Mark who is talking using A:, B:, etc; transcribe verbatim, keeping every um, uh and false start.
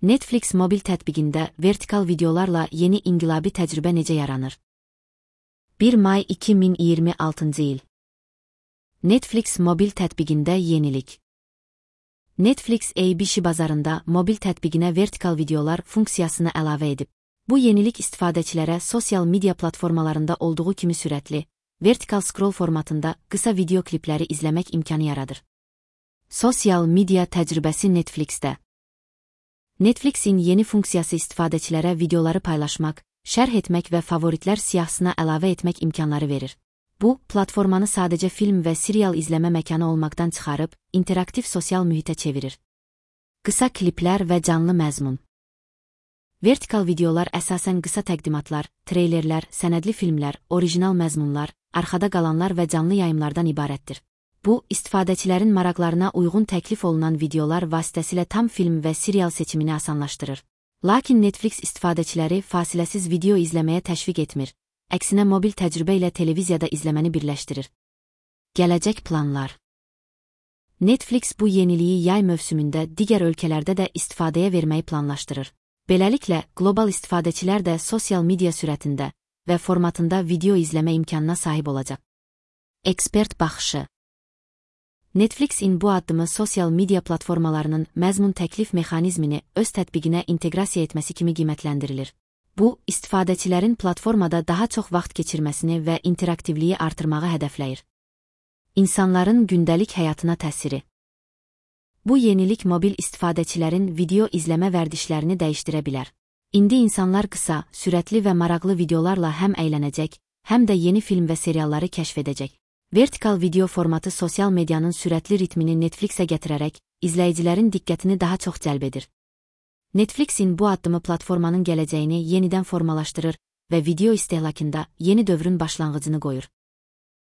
A: Netflix mobil tətbiqində vertikal videolarla yeni inqilabi təcrübə necə yaranır? bir may iki min iyirmi altıncı il. Netflix mobil tətbiqində yenilik. Netflix A B C bazarında mobil tətbiqinə vertikal videolar funksiyasını əlavə edib. Bu yenilik istifadəçilərə sosial media platformalarında olduğu kimi sürətli, vertikal scroll formatında qısa video klipləri izləmək imkanı yaradır. Sosial media təcrübəsi Netflixdə. Netflixin yeni funksiyası istifadəçilərə videoları paylaşmaq, şərh etmək və favoritlər siyahısına əlavə etmək imkanları verir. Bu, platformanı sadəcə film və serial izləmə məkanı olmaqdan çıxarıb, interaktiv sosial mühitə çevirir. Qısa kliplər və canlı məzmun. Vertikal videolar əsasən qısa təqdimatlar, treylerlər, sənədli filmlər, orijinal məzmunlar, arxada qalanlar və canlı yayımlardan ibarətdir. Bu, istifadəçilərin maraqlarına uyğun təklif olunan videolar vasitəsilə tam film və serial seçimini asanlaşdırır. Lakin Netflix istifadəçiləri fasiləsiz video izləməyə təşviq etmir, əksinə mobil təcrübə ilə televiziyada izləməni birləşdirir. Gələcək planlar. Netflix bu yeniliyi yay mövsümündə digər ölkələrdə də istifadəyə verməyi planlaşdırır. Beləliklə, qlobal istifadəçilər də sosial media sürətində və formatında video izləmə imkanına sahib olacaq. Ekspert baxışı. Netflixin bu addımı sosial media platformalarının məzmun təklif mexanizmini öz tətbiqinə inteqrasiya etməsi kimi qiymətləndirilir. Bu, istifadəçilərin platformada daha çox vaxt keçirməsini və interaktivliyi artırmağı hədəfləyir. İnsanların gündəlik həyatına təsiri. Bu yenilik mobil istifadəçilərin video izləmə vərdişlərini dəyişdirə bilər. İndi insanlar qısa, sürətli və maraqlı videolarla həm əylənəcək, həm də yeni film və serialları kəşf edəcək. Vertikal video formatı sosial medianın sürətli ritmini Netflixə gətirərək, izləyicilərin diqqətini daha çox cəlb edir. Netflixin bu addımı platformanın gələcəyini yenidən formalaşdırır və video istehlakında yeni dövrün başlanğıcını qoyur.